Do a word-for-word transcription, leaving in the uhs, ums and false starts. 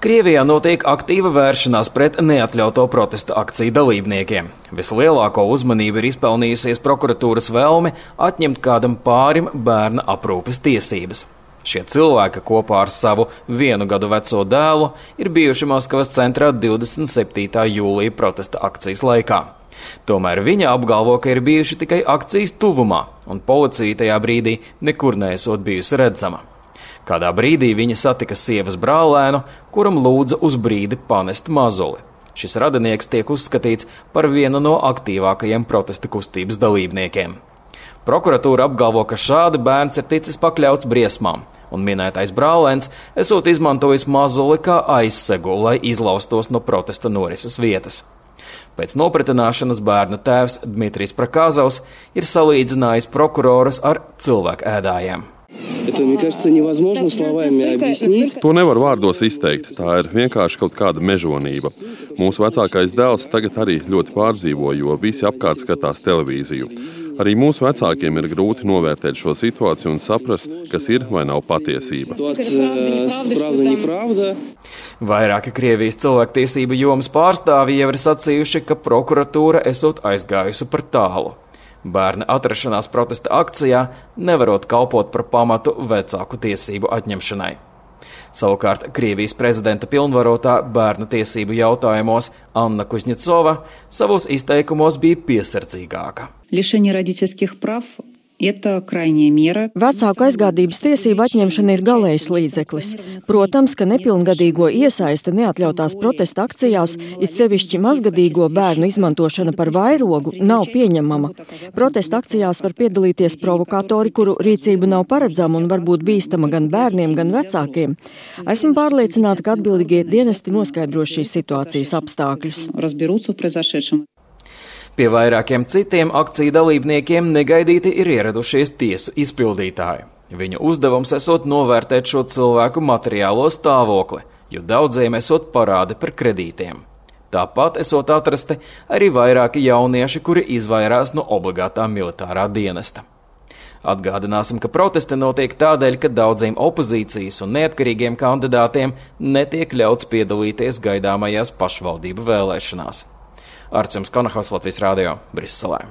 Krievijā notiek aktīva vēršanās pret neatļauto protesta akciju dalībniekiem. Vislielāko uzmanību ir izpelnījusies prokuratūras vēlme atņemt kādam pārim bērna aprūpes tiesības. Šie cilvēki kopā ar savu vienu gadu veco dēlu ir bijuši Maskavas centrā divdesmit septītā jūlija protesta akcijas laikā. Tomēr viņi apgalvo, ka ir bijuši tikai akcijas tuvumā, un policija tajā brīdī nekur neesot bijusi redzama. Kādā brīdī viņa satika sievas brālēnu, kuram lūdza uz brīdi panest mazuli. Šis radinieks tiek uzskatīts par vienu no aktīvākajiem protesta kustības dalībniekiem. Prokuratūra apgalvo, ka šādi bērns ir ticis pakļauts briesmām, un minētais brālēns esot izmantojis mazuli kā aizsegu, lai izlaustos no protesta norises vietas. Pēc nopratināšanas bērna tēvs Dmitrijs Prakazovs ir salīdzinājis prokurorus ar cilvēku ēdājiem. Это, мне кажется, невозможно словами объяснить. To nevar vārdos izteikt. Tā ir vienkārši kaut kāda mežonība. Mūsu vecākais dēls tagad arī ļoti pārdzīvo, jo visi apkārt skatās televīziju. Arī mūsu vecākiem ir grūti novērtēt šo situāciju un saprast, kas ir vai nav patiesība. Vairāki Krievijas cilvēktiesību jomas pārstāvji jau ir sacījuši, ka prokuratūra esot aizgājusi par tālu. Bērna atrašanās protesta akcijā nevarot kalpot par pamatu vecāku tiesību atņemšanai. Savukārt Krievijas prezidenta pilnvarotā bērnu tiesību jautājumos Anna Kuznecova savos izteikumos bija piesardzīgāka. Lišenie родительских прав – это крайняя мера. Vecāku aizgādības tiesību atņemšana ir galējs līdzeklis. Protams, ka nepilngadīgo iesaiste neatļautās protesta akcijās, it sevišķi mazgadīgo bērnu izmantošana par vairogu, nav pieņemama. Protesta akcijās var piedalīties provokatori, kuru rīcība nav paredzama un var būt bīstama gan bērniem, gan vecākiem. Esmu pārliecināta, ka atbildīgie dienesti noskaidros šīs situācijas apstākļus. Pie vairākiem citiem akciju dalībniekiem negaidīti ir ieradušies tiesu izpildītāji. Viņu uzdevums esot novērtēt šo cilvēku materiālo stāvokli, jo daudziem esot parādi par kredītiem. Tāpat esot atrasti arī vairāki jaunieši, kuri izvairās no obligātā militārā dienesta. Atgādināsim, ka protesti notiek tādēļ, ka daudziem opozīcijas un neatkarīgiem kandidātiem netiek ļauts piedalīties gaidāmajās pašvaldību vēlēšanās. Arcums Konahaus, Latvijas Rādio, Briselē.